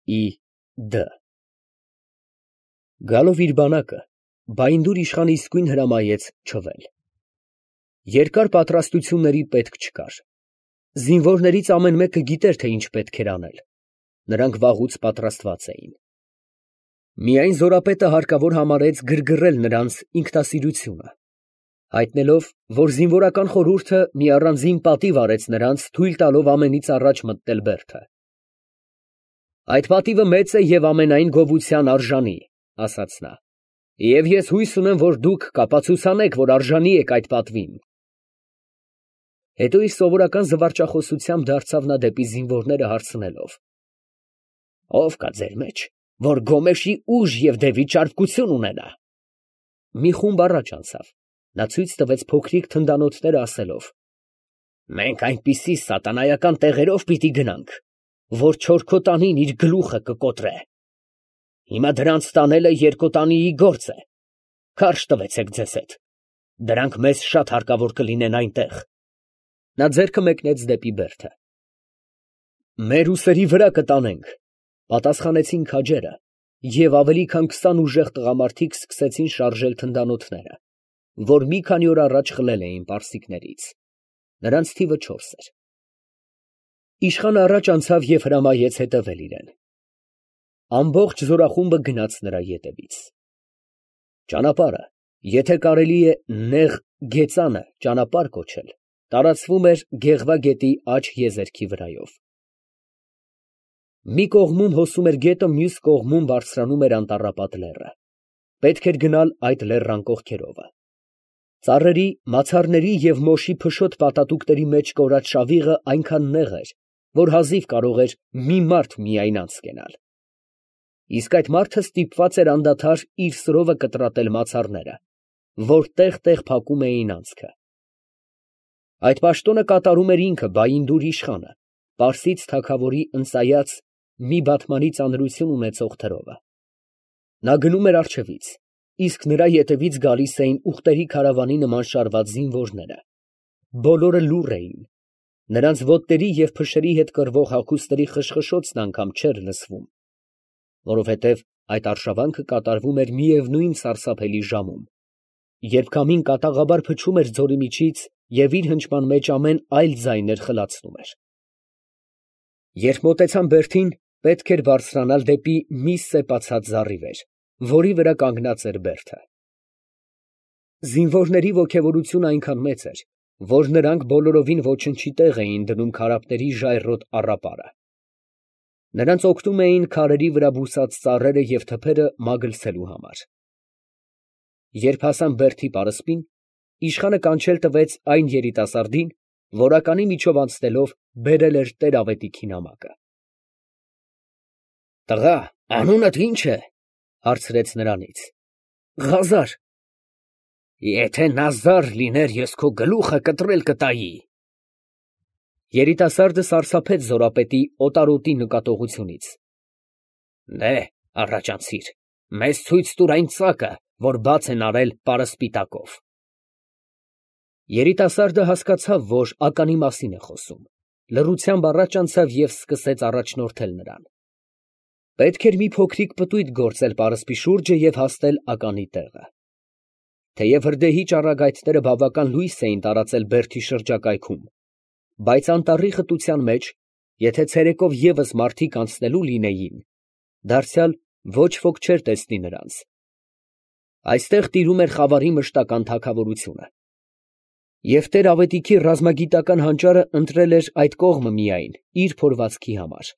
Դ. Գալով իր բանակը, Բայնդուր իշխանը իսկույն հրամայեց չվել։ Երկար պատրաստությունների պետք չկար։ Զինվորներից ամեն մեկը գիտեր, թե ինչ պետք էր անել։ Նրանք վաղուց պատրաստված էին։ Միայն զորապետը հարկավոր համարեց գրգռել նրանց ինքնասիրությունը, հայտնելով, որ զինվորական խորհուրդը մի առանձին պատիվ արեց նրանց, թույլ տալով ամենից առաջ մտնել բերդը։ Այդ պատիվը մեծ է և ամենայն գովության արժանի, ասաց նա, և ես հույս ունեմ, որ դուք կապացուցանեք, որ արժանի եք այդ պատվին։ Հետո իր սովորական զվարճախոսությամբ դարձավ նա դեպի զինվորները հարցնելով. Ո՞վ կա ձեր մեջ, որ Գոմեշի ուժ և դևի ճարպկություն ունենա։ Մի խումբ առաջ անցավ, նա ցույց տվեց փոքրիկ թնդանոթները ասելով. Մենք այնպիսի սատանայական տեղերով պիտի գնանք, որ չորքոտանին իր գլուխը կկոտրե։ Հիմա դրանց տանելը երկոտանիի գործ է։ Քարշ տվեցեք ձեզ հետ, դրանք մեզ շատ հարկավոր կլինեն այնտեղ։ Նա ձեռքը մեկնեց դեպի բերդը։ Մեր ուսերի վրա կտանենք, պատասխանեցին քաջերը, և ավելի քան 20 ուժեղ տղամարդիկ սկսեցին շարժել թնդանոթները, որ մի քանի օր առաջ խլել էին պարսիկներից։ Նրանց թիվը 4 էր։ Իշխանը առաջ անցավ և հրամայեց հետևել իրեն։ Ամբողջ զորախումբը գնաց նրա ետևից։ Ճանապարհը, եթե կարելի է նեղ գեծանը ճանապարհ կոչել, տարածվում էր Գեղվա գետի աջ եզերքի վրայով։ Մի կողմում հոսում էր գետը, մյուս կողմում բարձրանում էր անտառապատ լեռը։ Պետք էր գնալ այդ լեռան կողքերովը։ Ծառերի, մացառների և մոշի փշոտ պատատուկների մեջ կորած շավիղը այնքան նեղ էր, որ հազիվ կարող էր մի մարդ միայն անց կենալ։ Իսկ այդ մարդը ստիպված էր անդադար իր սրովը կտրատել մացառները, որ տեղ֊տեղ փակում էին անցքը։ Այդ պաշտոնը կատարում էր ինքը Բայնդուր իշխանը, պարսից թագավորի ընծայած մի բատմանի ծանրություն ունեցող թրովը։ Նա գնում էր առջևից, իսկ նրա ետևից գալիս էին ուղտերի քարավանի նման շարված զինվորները։ Բոլորը լուռ էին, նրանց ոտների և փշերի հետ կռվող հագուստների խշխշոցն անգամ չէր լսվում, որովհետև այդ արշավանքը կատարվում էր միևնույն սարսափելի ժամում, երբ քամին կատաղաբար փչում էր ձորի միջից և իր հնչման մեջ ամեն այլ ձայներ խլացնում էր։ Երբ մոտեցան բերդին, պետք էր բարձրանալ դեպի մի սեպացած զառիվեր, որի վրա կանգնած էր բերդը։ Զինվորների ոգևորությունը այնքան մեծ էր, որ նրանք բոլորովին ոչնչի տեղ էին դնում քարափների ժայռոտ առապարը։ Նրանց օգնում էին քարերի վրա բուսած ծառերը և թփերը մագլցելու համար։ Երբ հասան բերդի պարսպին, իշխանը կանչել տվեց այն երիտասարդին, որ ականի միջով անցնելով բերել էր տեր֊ավետիքի նամակը։ Տղա, անունդ ի՞նչ է, հարցրեց նրանից։ Ղազար։ Եթե Նազար լիներ, ես քո գլուխը կտրել կտայի։ Երիտասարդը սարսափեց զորապետի օտարոտի նկատողությունից։ Դե, առաջանցիր, մեզ ցույց տուր այն ծակը, որ բաց են արել պարսպիտակով։ Երիտասարդը հասկացավ, որ ականի մասին է խոսում, լռությամբ առաջ անցավ և սկսեց առաջնորդել նրան։ Պետք էր մի փոքրիկ պտույտ գործել պարսպի շուրջը և հասնել ականի տեղը։ Թեև հրդեհի ճառագայթները բավական լույս էին տարածել բերդի շրջակայքում, բայց անտառի խտության մեջ, եթե ցերեկով ևս մարդիկ անցնելու լինեին, դարձյալ ոչ ոք չէր տեսնի նրանց։ Այստեղ տիրում էր խավարի մշտական թագավորությունը։ Եվ տեր֊ավետիքի ռազմագիտական հանճարը ընտրել էր այդ կողմը միայն իր փորվածքի համար։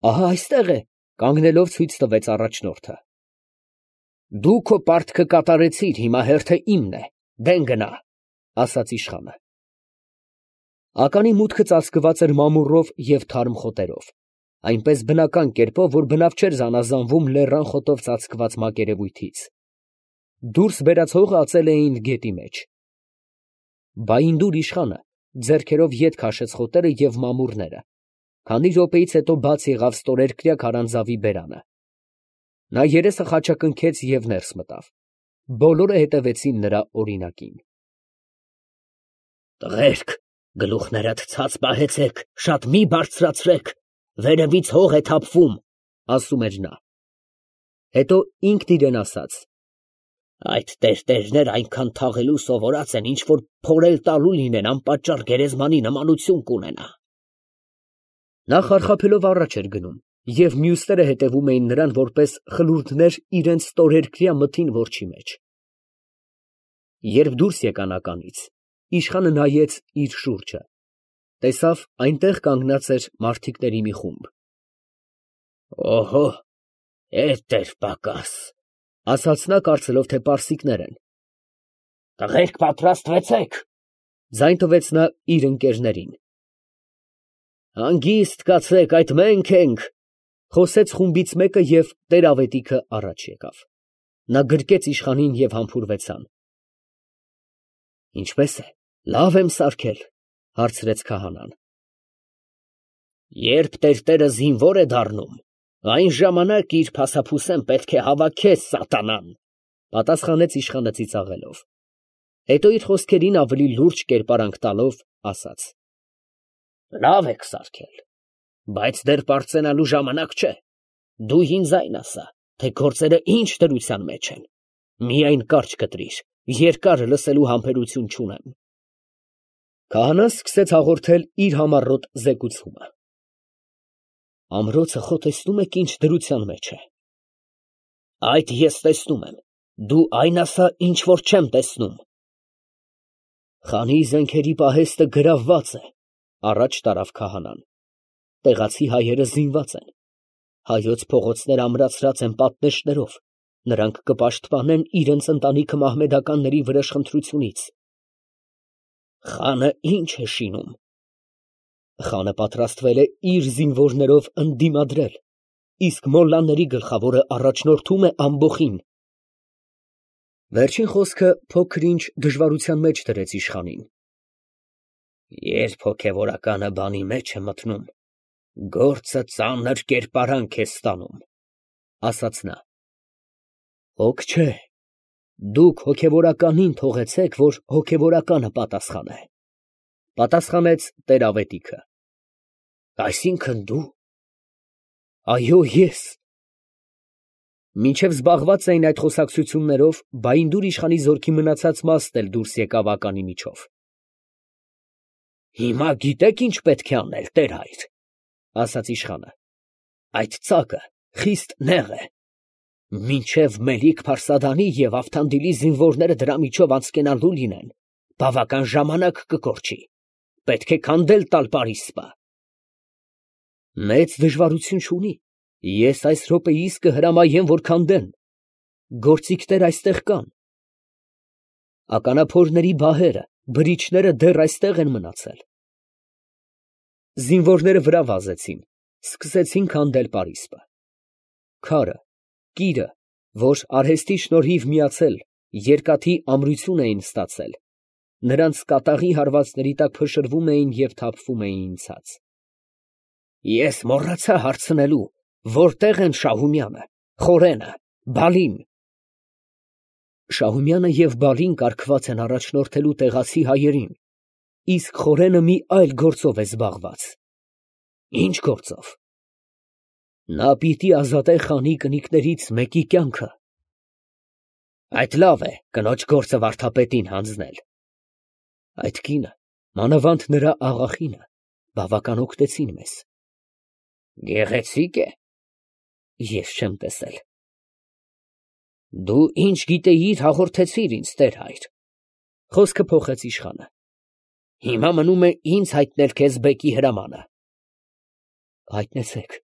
Ահա այստեղ է, կանգնելով ցույց տվեց առաջնորդը։ Դու քո պարտքը կատարեցիր, հիմա հերթը իմն է, դեն գնա, ասաց իշխանը։ Ականի մուտքը ծածկված էր մամուռով և թարմ խոտերով, այնպես բնական կերպով, որ բնավ չէր զանազանվում լեռան խոտով ծածկված մակերևույթից։ Դուրս բերած հողը ածել էին գետի մեջ։ Բայնդուր իշխանը ձեռքերով ետ քաշեց խոտերը և մամուռները, քանի րոպեից հետո բաց եղավ ստորերկրյա քարանձավի բերանը։ Նա երեսը խաչակնքեց և ներս մտավ։ Բոլորը հետևեցին նրա օրինակին։ Տղերք, գլուխներդ ցած պահեցեք, շատ մի բարձրացրեք, վերևից հող է թափվում, ասում էր նա։ Հետո ինքն իրեն ասաց. այդ տերտերներ այնքան թաղելու սովորած են, ինչ որ փորել տալու լինեն, անպատճառ գերեզմանի նմանություն կունենա։ Նա խարխափելով առաջ էր գնում, և մյուսները հետևում էին նրան որպես խլուրդներ իրենց ստորերկրյա մթին որջի մեջ։ Երբ դուրս եկան ականից, իշխանը նայեց իր շուրջը, տեսավ այնտեղ կանգնած էր մարդիկների մի խումբ։ Օհո, էդ էր պակաս, ասաց նա, կարծելով, թե պարսիկներ են։ Տղերք, պատրաստվեցեք, ձայն տվեց նա իր ընկերներին։ Հանգիստ կացեք, այդ մենք ենք, խոսեց խումբից մեկը և տեր֊ավետիքը առաջ եկավ։ Նա գրկեց իշխանին և համբուրվեցան։ Ինչպե՞ս է, լավ եմ սարքել, հարցրեց քահանան։ Երբ տերտերը զինվոր է դառնում, այն ժամանակ իր փասափուսեն պետք է հավաքես սատանան, պատասխանեց իշխանը ծիծաղելով։ Հետո իր խոսքերին ավելի լուրջ կերպարանք տալով ասաց. Լավ եք սարքել, բայց դեռ պարծենալու ժամանակ չէ։ Դու ինձ այն ասա, թե գործերը ինչ դրության մեջ են։ Միայն կարճ կտրիր, երկար լսելու համբերություն չունեմ։ Քահանան սկսեց հաղորդել իր համառոտ զեկուցումը։ Ամրոցը խո տեսնում եք ինչ դրության մեջ է։ Այդ ես տեսնում եմ, դու այն ասա, ինչ որ չեմ տեսնում։ Խանի զենքերի պահեստը գրավված է, առաջ տարավ քահանան։ Տեղացի հայերը զինված են։ Հայոց փողոցները ամրացրած են պատնեշներով, նրանք կպաշտպանեն իրենց ընտանիքը մահմեդականների վրեժխնդրությունից։ Խանը ինչ է շինում։ Խանը պատրաստվել է իր զինվորներով ընդդիմադրել, իսկ մոլլաների գլխավորը առաջնորդում է ամբոխին։ Վերջին խոսքը փոքր-ինչ դժվարության մեջ դրեց իշխանին։ Երբ հոգևորականը բանի մեջ է մտնում, գործը ծանր կերպարանք է ստանում, ասաց նա։ Հոգ չէ, դուք հոգևորականին թողեցեք, որ հոգևորականը պատասխանե, պատասխանեց տեր-ավետիքը։ Այսինքն դու։ Այո, ես։ Մինչև զբաղված էին այդ խոսակցություններով, Բայնդուր իշխանի զորքի մնացած մասն էլ դուրս եկավ ականի միջով։ Հիմա գիտեք ինչ պետք է անել, տեր֊հայր, ասաց իշխանը։ Այդ ծակը խիստ նեղ է։ Մինչև Մելիք-Փարսադանի և Ավթանդիլի զինվորները դրա միջով անցկենալու լինեն, բավական ժամանակ կկորչի։ Պետք է քանդել տալ Պարիսպը։ Մեծ դժվարություն չունի։ Ես այս րոպեիս կհրամայեմ, որ քանդեն։ Գործիքներ այստեղ կան։ Ականափորների բահերը, բրիչները դեռ այստեղ են մնացել։ Զինվորները վրա վազեցին, սկսեցին քանդել Պարիսպը։ Քարը, կիրը, որ արհեստի շնորհիվ միացել, երկաթի ամրություն էին ստացել, նրանց կատաղի հարվածների տակ փշրվում էին և թափվում էին ցած։ Ես մոռացա հարցնելու, որտեղ են Շահումյանը, Խորենը, Բալին։ Շահումյանը և Բալին կարգված են առաջնորդելու տեղացի հայերին, իսկ Խորենը մի այլ գործով է զբաղված։ Ինչ գործով։ Նա պիտի ազատե խանի կնիկներից մեկի կյանքը։ Այդ լավ է, կնոջ գործը վարդապետին հանձնել։ Այդ կինը, մանավանդ նրա աղախինը, բավական օգնեցին մեզ։ Գեղեցիկ է։ Ես չեմ տեսել։ Դու ինչ գիտեիր, հաղորդեցիր ինձ, տեր-հայր։ Խոսքը փոխեց իշխանը։ Հիմա մնում է ինձ հայտնել քեզ բեկի հրամանը։ Հայտնեցեք։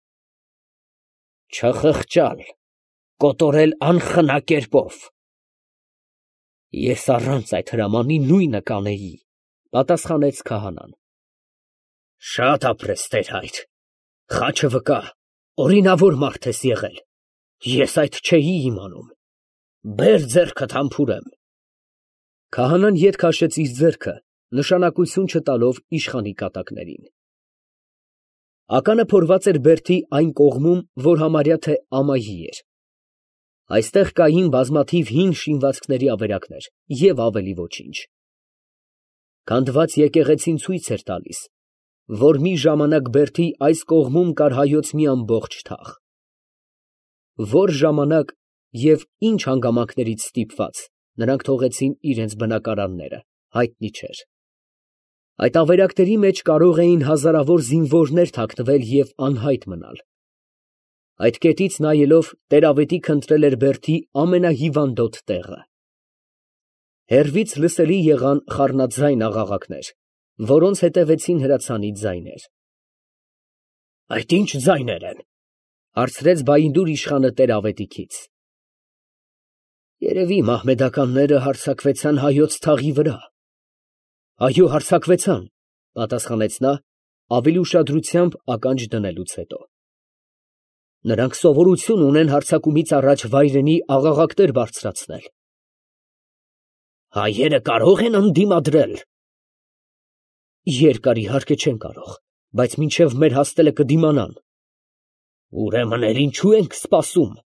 Չխղճալ, կոտորել անխնա կերպով։ Ես առանց այդ հրամանի նույնը կանեի, պատասխանեց քահանան։ Շատ ապրես, տեր-հայր։ Խաչը վկա, օրինավոր մարդ ես եղել։ Ես այդ չէի իմանում։ Բեր ձեռքդ համբուրեմ։ Քահանան ետ քաշեց իր ձեռքը, նշանակություն չտալով իշխանի կատակներին։ Ականը փորված էր բերդի այն կողմում, որ համարյա թե ամայի էր։ Այստեղ կային բազմաթիվ հին շինվածքների ավերակներ և ավելի ոչինչ։ Քանդված եկեղեցին ցույց էր տալիս, որ մի ժամանակ բերդի այս կողմում կար հայոց մի ամբողջ թաղ։ Որ ժամանակ և ինչ հանգամանքներից ստիպված, նրանք թողեցին իրենց բնակարանները, հայտնի չէր։ Այդ ավերակների մեջ կարող էին հազարավոր զինվորներ թաքնվել և անհայտ մնալ։ Այդ կետից նայելով, տեր֊ավետիքը ընտրել էր բերդի ամենահիվանդոտ տեղը։ Հեռվից լսելի եղան խառնածայն աղաղակներ, որոնց հետևեցին հրացանի ձայներ։ ֊ Այդ ի՞նչ ձայներ են, ֊ հարցրեց Բայնդուր իշխանը տեր֊ավետիքից։ ֊ Երևի մահմեդականները հարձակվեցան հայոց թաղի վրա։ ֊ Այո, հարձակվեցան, ֊ պատասխանեց նա, ավելի ուշադրությամբ ականջ դնելուց հետո։ ֊ Նրանք սովորություն ունեն հարձակումից առաջ վայրենի աղաղակներ բարձրացնել։ ֊ Հայերը կարո՞ղ են ընդդիմադրել։ ֊ Երկար իհարկե չեն կարող, բայց մինչև մեր հասնելը կդիմանան։ ֊ Ուրեմն էլ ինչո՞ւ ենք սպասում։ ֊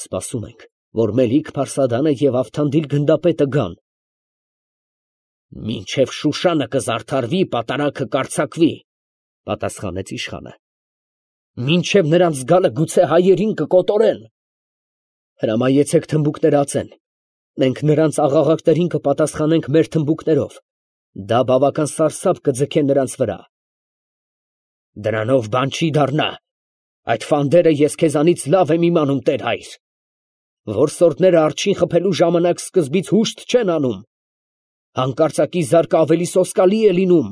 Սպասում ենք, որ Մելիք-Փարսադանը և Ավթանդիլ գնդապետը գան։ ֊ Մինչև Շուշանը կզարդարվի, պատարագը կարձակվի, ֊ պատասխանեց իշխանը։ ֊ Մինչև նրանց գալը գուցե հայերին կկոտորեն։ ֊ Հրամայեցեք թմբուկները ածեն, մենք նրանց աղաղակներին կպատասխանենք մեր թմբուկներով, դա բավական սարսափ կձգե նրանց վրա։ ֊ Դրանով բան չի դառնա, այդ ֆանդերը ես քեզանից լավ եմ իմանում, տեր֊հայր։ Որսորդները արջին խփելու ժամանակ սկզբից հուշտ չեն անում, հանկարծակի զարկը ավելի սոսկալի է լինում։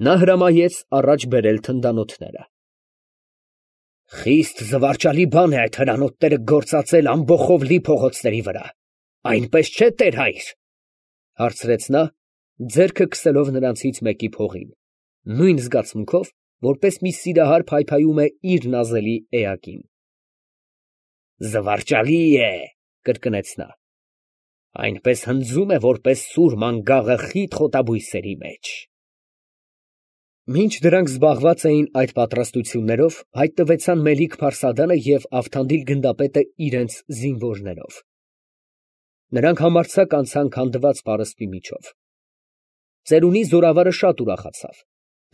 Նա հրամայեց առաջ բերել թնդանոթները։ Խիստ զվարճալի բան է այդ հրանոթները գործածել ամբոխով լի փողոցների վրա, այնպես չէ, տեր֊հայր, ֊ հարցրեց նա, ձեռքը քսելով նրանցից մեկի փողին, նույն զգացմունքով, որպես մի սիրահար փայփայում է իր նազելի էակին։ ֊ Զվարճալի է, ֊ կրկնեց նա, ֊ այնպես հնձում է, որպես սուր մանգաղը խիտ խոտաբույսերի մեջ։ Մինչ դրանք զբաղված էին այդ պատրաստություններով, հայտնվեցան Մելիք-Փարսադանը և Ավթանդիլ գնդապետը իրենց զինվորներով։ Նրանք համարձակ անցան քանդված պարսպի միջով։ Ծերունի զորավարը շատ ուրախացավ,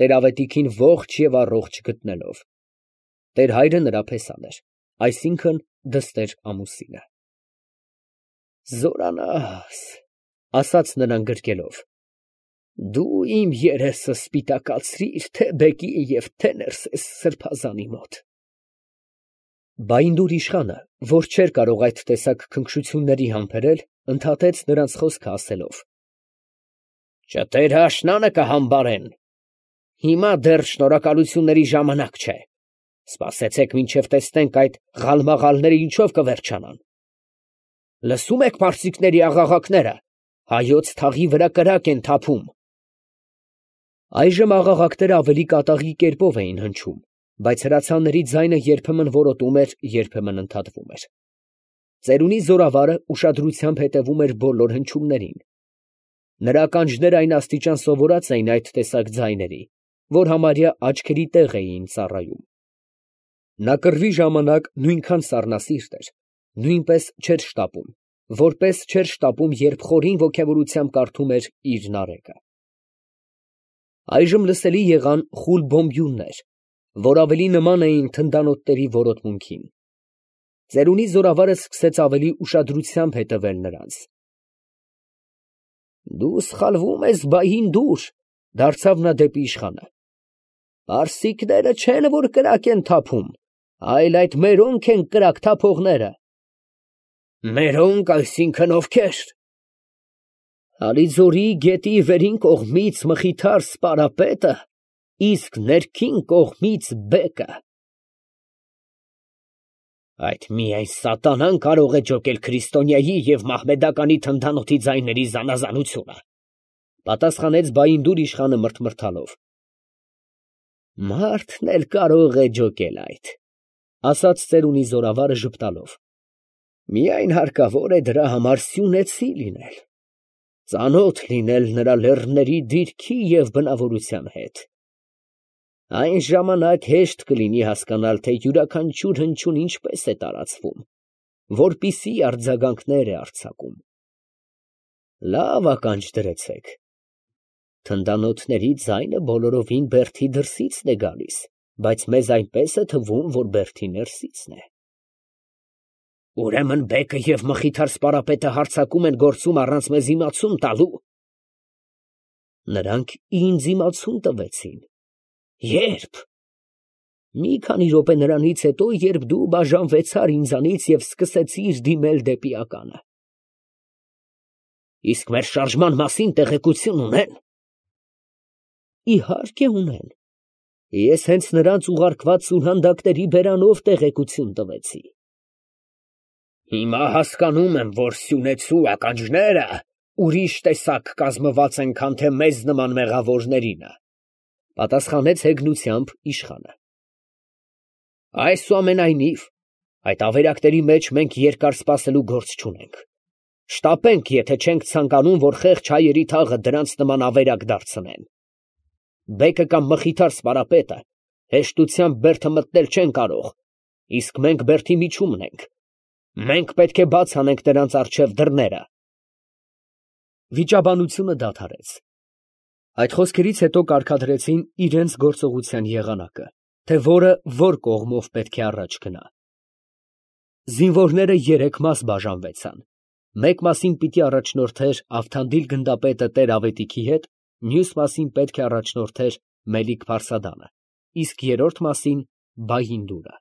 տեր֊ավետիքին ողջ և առողջ գտնելով։ Տեր֊հայրը նրա փեսան էր, այսինքն դստեր ամուսինը։ Զորանաս, ֊ ասաց նրան գրկելով, ֊ դու իմ երեսը սպիտակացրիր թե բեկի և թե ներսես սրբազանի մոտ։ Բայնդուր իշխանը, որ չէր կարող այդ տեսակ քնքշությունների համբերել, ընդհատեց նրանց խոսքը ասելով. Չտեր աշնանը կհամբարեն։ Հիմա դեռ շնորհակալությունների ժամանակ չէ։ Սպասեցեք, մինչև տեսնենք այդ ղալմաղալները ինչով կվերջանան։ Լսում եք պարսիկների աղաղակները, հայոց թաղի վրա կրակ են թափում։ Այժմ աղաղակները ավելի կատաղի կերպով էին հնչում, բայց հրացանների ձայնը երբեմն որոտում էր, երբեմն ընդհատվում էր։ Ծերունի զորավարը ուշադրությամբ հետևում էր բոլոր հնչյուններին։ Նրա ականջները այն աստիճան սովորած էին այդ տեսակ ձայների, որ համարյա աչքերի տեղ էին ծառայում։ Նա կռվի ժամանակ նույնքան սառնասիրտ էր, նույնպես չէր շտապում, որպես չէր շտապում, երբ խորին ոգևորությամբ կարդում էր իր նարեկը։ Այժմ լսելի եղան խուլ բոմբյուններ, որ ավելի նման էին թնդանոթների որոտմունքին։ Ծերունի զորավարը սկսեց ավելի ուշադրությամբ հետևել նրանց։ Դու սխալվում ես, Բայնդուր, ֊ դարձավ նա դեպի իշխանը։ Պարսիկները չեն, որ կրակ են թափում, այլ այդ մերոնք են կրակ թափողները։ Մերոնք, այսինքն ովքե՞ր։ Ալիձորի գետի վերին կողմից Մխիթար սպարապետը, իսկ ներքին կողմից բեկը։ Այդ միայն սատանան կարող է ջոկել քրիստոնյայի և մահմեդականի թնդանոթի ձայների զանազանությունը, ֊ պատասխանեց Բայնդուր իշխանը մրթմրթալով։ Մարդն էլ կարող է ջոկել այդ, ֊ ասաց ծերունի զորավարը ժպտալով։ Միայն հարկավոր է դրա համար սյունեցի լինել, ծանոթ լինել նրա լեռների դիրքի և բնավորության հետ։ Այն ժամանակ հեշտ կլինի հասկանալ, թե յուրաքանչյուր հնչյուն ինչպես է տարածվում, որպիսի արձագանքներ է արձակում։ Լավ ականջ դրեցեք։ Թնդանոթների ձայնը բոլորովին Բերդի դրսիցն է գալիս, բայց մեզ այնպես է թվում, որ Բերդի ներսիցն է։ Ուրեմն բեկը և Մխիթար սպարապետը հարձակում են գործում առանց մեզ իմացուն տալու։ Նրանք ինձ իմացուն տվեցին։ Ե՞րբ։ Մի քանի րոպե նրանից հետո, երբ դու բաժանվեցար ինձանից և սկսեցիր դիմել դեպի ականը։ Իսկ մեր շարժման մասին տեղեկություն ունեն։ Իհարկե ունեն։ Ես հենց նրանց ուղարկված սուրհանդակների բերանով տեղեկություն տվեցի։ Հիմա հասկանում եմ, որ սյունեցու ականջները ուրիշ տեսակ կազմված են, քան թե մեզ նման մեղավորներինը, պատասխանեց հեգնությամբ իշխանը։ Այսուամենայնիվ, այդ ավերակների մեջ մենք երկար սպասելու գործ չունենք։ Շտապենք, եթե չենք ցանկանում, որ խեղճ հայերի թաղը դրանց նման ավերակ դարձնեն։ Բեկը կամ Մխիթար սպարապետը հեշտությամբ Բերդը մտնել չեն կարող, իսկ մենք Բերդի միջումն ենք։ Մենք պետք է բաց անենք նրանց առջև դռները։ Վիճաբանությունը դադարեց։ Այդ խոսքերից հետո կարգադրեցին իրենց գործողության եղանակը, թե որը որ կողմով պետք է առաջ գնա։ Զինվորները 3 մաս բաժանվեցան։ Մեկ մասին պիտի առաջնորդեր Ավթանդիլ գնդապետը Տեր-Ավետիքի հետ, մյուս մասին պետք է առաջնորդեր Մելիք Փարսադանը, իսկ երրորդ մասին Բայհինդուրը։